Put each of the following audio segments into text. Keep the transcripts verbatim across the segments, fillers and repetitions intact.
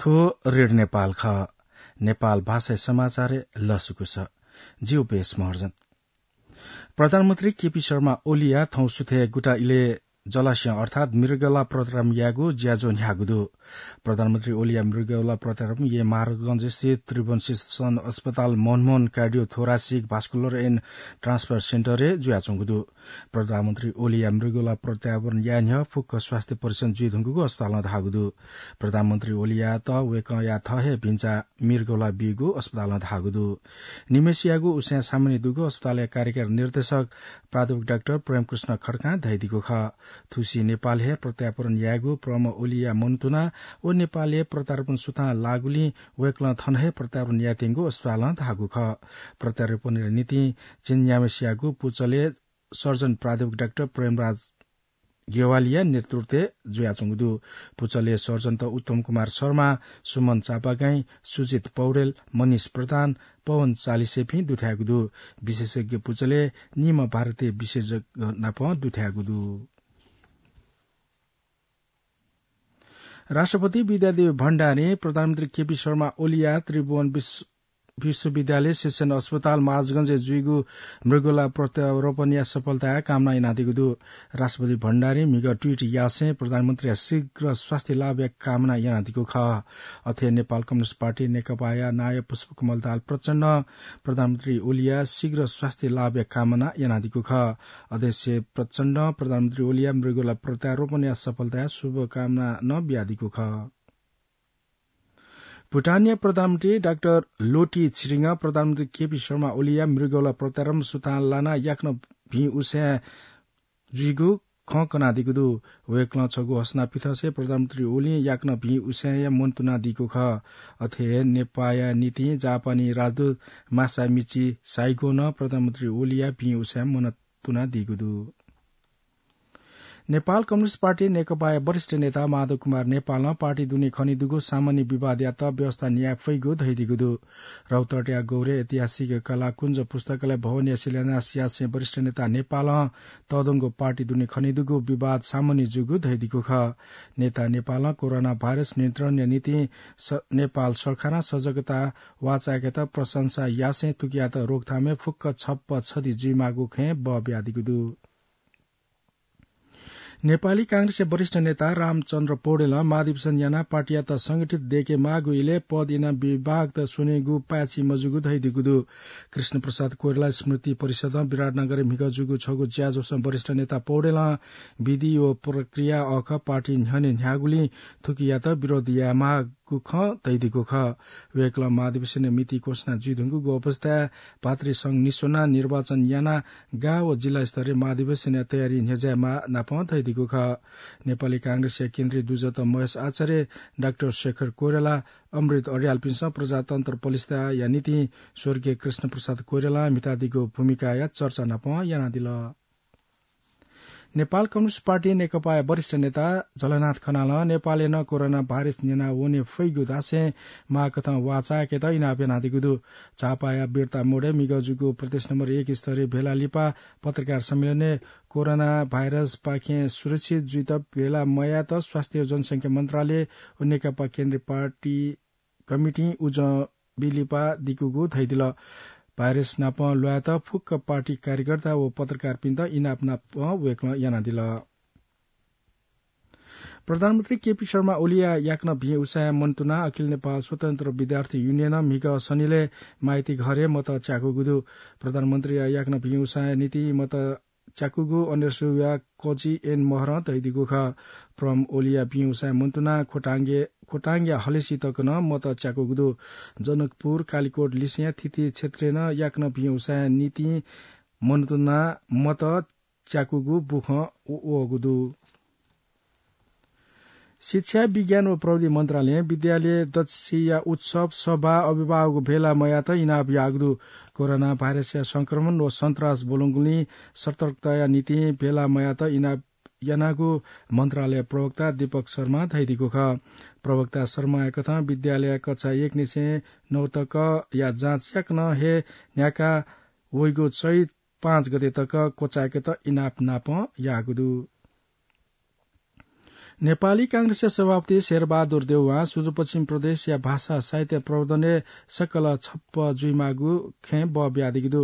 रेडियो नेपाल खः। नेपाल भाषाय् समाचारय् लसकुस। ज्यू बेस महर्जन। प्रधानमन्त्री केपी शर्मा ओलीया थौं सुथय् गुता इलय् जलाशयं अर्थात् मृगौला प्रत्यारोपण यायेगु ज्याझ्वः न्ह्याःगु दु। प्रधानमन्त्री ओलीया मृगौला प्रत्यारोपण याये महाराजगंज स्थित त्रिभुवन शिक्षण अस्पताल मनमोहन कार्डियोथोरासिक भास्कुलर एन्ड ट्रान्सप्लान्ट सेन्टरय् जुयाच्वंगु दु। प्रधानमन्त्री ओलीया मृगौला प्रत्यारोपण याये न्ह्यः फुक्क स्वास्थ्य परीक्षण जुइधुंकूगु अस्पतालं धाःगु दु। प्रधानमन्त्री ओलीयात वय्कःया थः हे भिन्चा मृगौला बीगु अस्पतालं धाःगु दु। निम्हेसियागु उसाँय् सामान्य दुगु अस्पतालया कार्यकारी निर्देशक प्राध्यापक डाक्टर प्रेमकृष्ण खड्कां धयादीगु खः। थुसी नेपालय् हे प्रत्यारोपण यायेगु प्रम ओलीया मनंतुना व नेपालय् प्रत्यारोपण सुथां लाःगुलिं वय्कलं थन हे प्रत्यारोपण यायेत्यंगु अस्पतालं धाःगु खः। प्रत्यारोपणया निंतिं झिंन्याम्हेसियागु पुचलय् सर्जन प्राध्यापक डाक्टर प्रेमराज ज्ञवालीया नेतृत्वय् जुयाच्वंगु दु। पुचलय् सर्जनत उत्तम कुमार शर्मा, सुमन चापागाईं, सुजित पौडेल, मनिष प्रधान, पवन चालिसेपिं दुथ्याःगु दु। विशेषज्ञ पुचलय् निम्ह भारतीय विशेषज्ञ नाप दुथ्याःगु दु। राष्ट्रपति विद्यादेवी भण्डारीं प्रधानमन्त्री केपी शर्मा ओलीया त्रिभुवन विश्व-, विश्वविद्यालय शिक्षण अस्पताल महाराजगंजय् जुइगु मृगौला प्रत्यारोपणया सफलताया कामना यानादीगु दु। राष्ट्रपति भण्डारीं म्हिगः ट्वीट यासें प्रधानमन्त्रीया शीघ्र स्वास्थ्य लाभया कामना यानादीगु खः। अथे नेपाल कम्युनिस्ट पार्टी नेकपाया नायः पुष्पकमल दाहाल प्रचण्डं प्रधानमन्त्री ओलीया शीघ्र स्वास्थ्य लाभया कामना यानादीगु खः। अध्यक्ष प्रचण्डं प्रधानमन्त्री ओलीया मृगौला प्रत्यारोपणया सफलताया शुभकामना नं बियादीगु खः। भुटानया प्रधानमन्त्री डाक्टर लोटी छिरिङं प्रधानमन्त्री केपी शर्मा ओलीया मृगौला प्रत्यारोपण सुथां लानाः याकनं भिं उसाँय् जुइगु खँ कनादीगु दु। वय्कलं छगू हसना पिथंसे प्रधानमन्त्री ओलीं याकनं भिं उसाँय्‌या मनंतुनादीगु खः। अथे हे नेपाःया निंतिं जापानी राजदूत मासामिची साइगों नं प्रधानमन्त्री ओलीया भिं उसाँय् मनंतुनादीगु दु। नेपाल कम्युनिस्ट पार्टी नेकपाया वरिष्ठ नेता माधव कुमार नेपालं पार्टी दुने खनेदुगु सामान्य विवादयात व्यवस्था न्याये फइगु धयादीगु दु। रौतहटया गौरे ऐतिहासिक कलाकुञ्ज पुस्तकालय भवनया शिलान्यास यासें वरिष्ठ नेता नेपालं तःधंगु पार्टी दुने खनेदुगु विवाद सामान्य जूगु धयादीगु खः। नेता नेपालं कोरोना भाइरस नियन्त्रणया निंतिं स-, नेपाल सरकारं सजगता वाःचाय्‌केत प्रशंसा यासें थुकियात रोकथामय् फुक्क छप्पँ छधी जुइमाःगु खँय् बः बियादीगु दु। नेपाली कांग्रेसया वरिष्ठ नेता रामचन्द्र पौडेलं महाधिवेशन यानाः पार्टीयात संगठित दयेकेमाःगु इलय् पद इनाप विभागत स्वनेगु पाय्‌छि मजूगु धयादीगु दु। कृष्णप्रसाद कोइराला स्मृति परिषदं विराटनगरय् म्हिगः जूगु छगू ज्याझ्वलय् वरिष्ठ नेता पौडेलं विधि व प्रक्रिया अःखः पार्टी न्ह्यःने न्ह्याःगुलिं थुकियात विरोध यायेमाः गु खँ धयादीगु खः। वय्‌कलं महाधिवेशनया मिति घोषणा जुइधुंकूगु अवस्थाय् भातृसंघ निस्वनाः निर्वाचन यानाः गाः व जिल्ला स्तरय् महाधिवेशनया तयारी न्ह्यज्यायेमाः नापं धयादीगु खः। नेपाली कांग्रेसया केन्द्रीय दुजः महेश आचार्य, डाक्टर शेखर कोइराला, अमृत अर्यालपिन्सं प्रजातन्त्र प्रतिष्ठाया निंतिं स्वर्गीय कृष्णप्रसाद कोइरालां म्हितादीगु भूमिकाया चर्चा नापं यानादिल। नेपाल कम्युनिस्ट पार्टी नेकपाया वरिष्ठ नेता झलनाथ खनालं नेपालय् नं कोरोना भाइरस न्यना वने फइगु धासें माःकथं वाःचाय्‌केत इनाप यानादीगु दु। झापाया बिर्ता मोडय् म्हिगः जूगु प्रदेश नम्बर एक स्तरीय भेला लिपा पत्रकार सम्मेलनय् कोरोना भाइरसपाखें सुरक्षित जुइत भेला मयायेत स्वास्थ्य व जनसंख्या मन्त्रालय व नेकपा केन्द्रीय पार्टी कमिटिं उजं बी लिपा दिकूगु धयादिल। भाइरस नाप ल्वायेत फुक्क पार्टी कार्यकर्ता व पत्रकारपिन्त इनाप नापं वय्‌कलं यानादिल। प्रधानमन्त्री केपी शर्मा ओलीया याकनं भिं उसाँय् मनंतुनाः अखिल नेपाल स्वतन्त्र विद्यार्थी युनियनं म्हिगः सनिलय् माइतीघरय् मत च्याकूगु दु। प्रधानमन्त्रीया याकनं भिं उसाँय् निंतिं मत च्याकूगु अनेर्सुया कजि एन महरं धयादीगु खः। प्रम ओलीया भिं उसाँय् मनंतुनाः खोटाङया हलेसी तक नं मत च्याकूगु दु। जनकपुर, कालिकोट लिसेंया थीथी क्षेत्रय् नं याकनं भिं उसाँय् निंतिं मनंतुनाः मत च्याकूगु बुखँ वःगु दु। शिक्षा, विज्ञान व प्रविधि मन्त्रालयं विद्यालय दच्छिया उत्सव, सभा, अभिभावक भेला मयायेत इनाप याःगु दु। कोरोना भाइरसया संक्रमण व सन्त्रास ब्वलंगुलिं सतर्कताया निंतिं भेला मयायेत इनाप यानागु मन्त्रालय प्रवक्ता दीपक शर्मां धयादीगु खः। प्रवक्ता शर्माया कथं विद्यालय कक्षा एक निसें नौ तकया जाँच याकनं हे न्ह्याका वइगु चैत पाँच गते तक क्वचाय्‌केत इनाप नापं याःगु दु। नेपाली कांग्रेसया सभापति शेरबहादुर देउवां सुदूरपश्चिम प्रदेशया भाषा साहित्य प्रवर्धनय् सकल छप्पँ जुइमाःगु खँय् बः बियादीगु दु।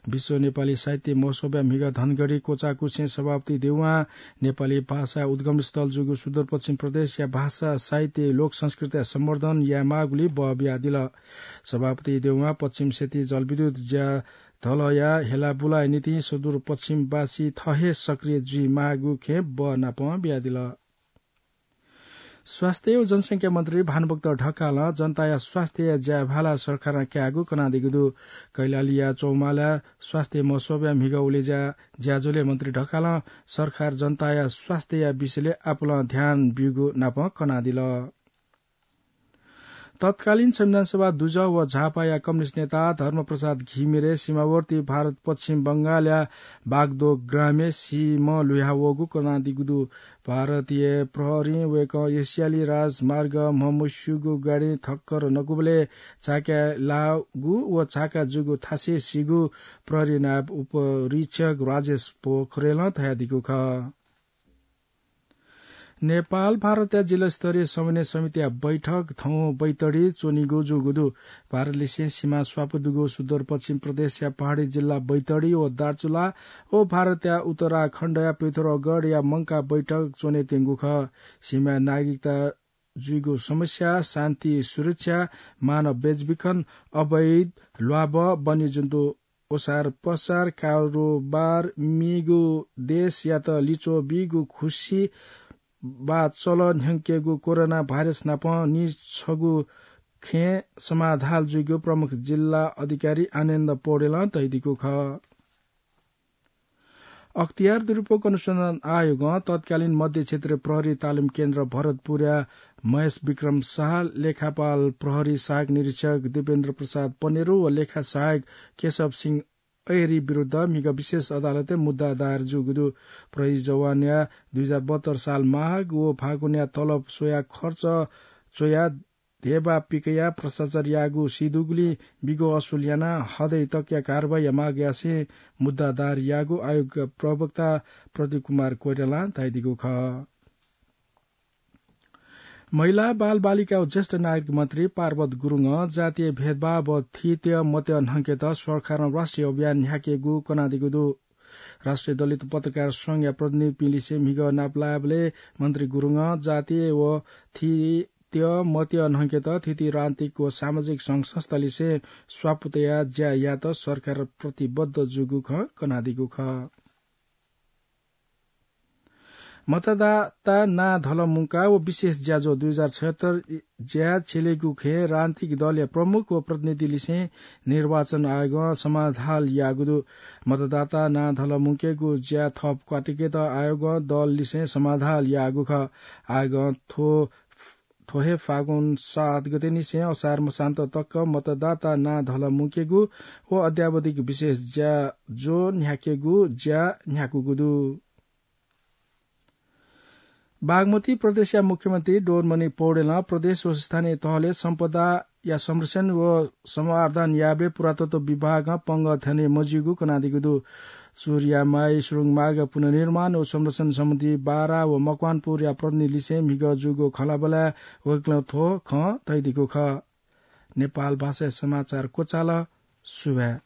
विश्व नेपाली साहित्य महोत्सवया म्हिगः धनगढी क्वचाकुछें सभापति देउवां नेपाली भाषा उद्गमस्थल जूगु सुदूरपश्चिम प्रदेशया भाषा साहित्य लोक संस्कृतिया सम्वर्धन यायेमाःगुलिइ बः बियादिल। सभापति देउवां पश्चिम सेती जलविद्युत ज्या धलया हेलाबुलाया निंतिं सुदूरपश्चिमवासी थः हे सक्रिय जुइमाःगु खँय् बः नापं बियादिल। स्वास्थ्य व जनसंख्या मन्त्री भानुभक्त ढकालं जनताया स्वास्थ्यया ज्या भाला सरकारं कायेगु कनादीगु दु। कैलालीया चौमाला स्वास्थ्य महोत्सवया म्हिगः उलेज्या ज्याझ्वलय् मन्त्री ढकालं सरकार जनताया स्वास्थ्यया विषयलय् आपालं ध्यान ब्यूगु नापं कनादिल। तत्कालीन संविधान सभा दुजः व झापाया कम्युनिस्ट नेता धर्मप्रसाद घिमिरे सीमावर्ती भारत पश्चिम बंगालया बागदोग्रामय् सीम्ह लुह्यावःगु कनादीगु दु। भारतीय प्रहरीं वय्कः एसियाली राजमार्ग म्हमस्यूगु गाडी ठक्कर नकूबलय् चाकाय् लाःगु व चाका जूगु थासय् सीगु प्रहरी नायब उपरीक्षक राजेश पोखरेलं धयादीगु खः। नेपाल भारतया जिल्लास्तरीय समन्वय समितिया बैठक थौं बैतडी च्वनीगु जूगु दु। भारतलिसें सीमा स्वापू दुगु सुदूरपश्चिम प्रदेशया पहाडी जिल्ला बैतडी व दार्चुला व भारतया उत्तराखण्डया पिथौरागढया मंकाः बैठक च्वनेत्यंगु खः। सीमाय् नागरिकता जुइगु समस्या, शान्ति सुरक्षा, मानव बेचबिखन, अवैध ल्वाभः, वन्यजन्तु ओसार पसार, कारोबार, मेगु देशयात लिच्वः बीगु खुसी वा चलन न्ह्यंकेगु कोरोना भाइरस नाप निछगू खँय् समाधाल जुइगु प्रमुख जिल्ला अधिकारी आनन्द पौडेलं धयादीगु खः। अख्तियार दुरुपयोग अनुसन्धान आयोगं तत्कालीन मध्य क्षेत्रीय प्रहरी तालिम केन्द्र भरतपुरया महेश विक्रम शाह, लेखापाल प्रहरी सहायक निरीक्षक दिपेन्द्र प्रसाद पनेरु व लेखा सहायक केशव सिंह ऐरी विरुद्ध म्हिगः विशेष अदालतय् मुद्दा दायर जूगु दु। प्रहरी जवानया दुई हजार बहत्तर साल माघ व फागुनया तलब स्वयाः खर्च च्वयाः धेबा पिकयाः भ्रष्टाचार याःगु सीदुगुलिं बिगु असुल यानाः हदय् तकया कारवाहीया माग यासें मुद्दा दायर याःगु आयोगया प्रवक्ता प्रदीप कुमार कोइरालां धयादीगु खः। महिला, बालबालिका व ज्येष्ठ नागरिक मन्त्री पार्वत गुरुङं जातीय भेदभाव व थीत्यः मत्यः न्हंकेत सरकारं राष्ट्रिय अभियान न्ह्याकेगु कनादीगु दु। राष्ट्रिय दलित पत्रकार संघया प्रतिनिधिपिंलिसे म्हिगः नापलायेबलय् मन्त्री गुरुङं जातीय व थीत्यः मत्यः न्हंकेत थीथी राजनीतिक व सामाजिक संघ संस्थालिसे स्वापू तयाः ज्या यायेत सरकार प्रतिबद्ध जूगु खँ कनादीगु खः। मतदाता नां धल मुंकाः व विशेष ज्याझ्वः दुई हजार छयत्तर ज्या छ्यलेगु खँय् राजनीतिक दलया प्रमुख व प्रतिनिधिलिसें निर्वाचन आयोगं समाधाल याःगु दु। मतदाता नां धल मुंकेगु ज्या थप क्वातुकेत आयोगं दललिसें समाधाल याःगु खः। आयोगं थ्व, थ्व हे फागुन सात गतेनिसें असार मसान्त तक मतदाता नां धल मुंकेगु व अद्यावधिक विशेष ज्याझ्वः न्ह्याकेगु ज्या न्ह्याकूगु दु। बागमती प्रदेशया मुख्यमन्त्री डोरमणि पौडेलं प्रदेश व स्थानीय तहले सम्पदाया संरक्षण व संवर्धन यायेबलय् पुरातत्व विभागं पंगः थ्यने मज्यूगु कनादीगु दु। सूर्यामाई सुरुङ मार्ग पुनर्निर्माण व संरक्षण सम्बन्धी बारा व मकवानपुरया प्रतिनिधिलिसें म्हिगः जूगु खँल्हाबल्हाय् वय्कलं थ्व खँ धयादीगु खः। नेपाल भाषाया समाचार क्वचाल। सुभाय्।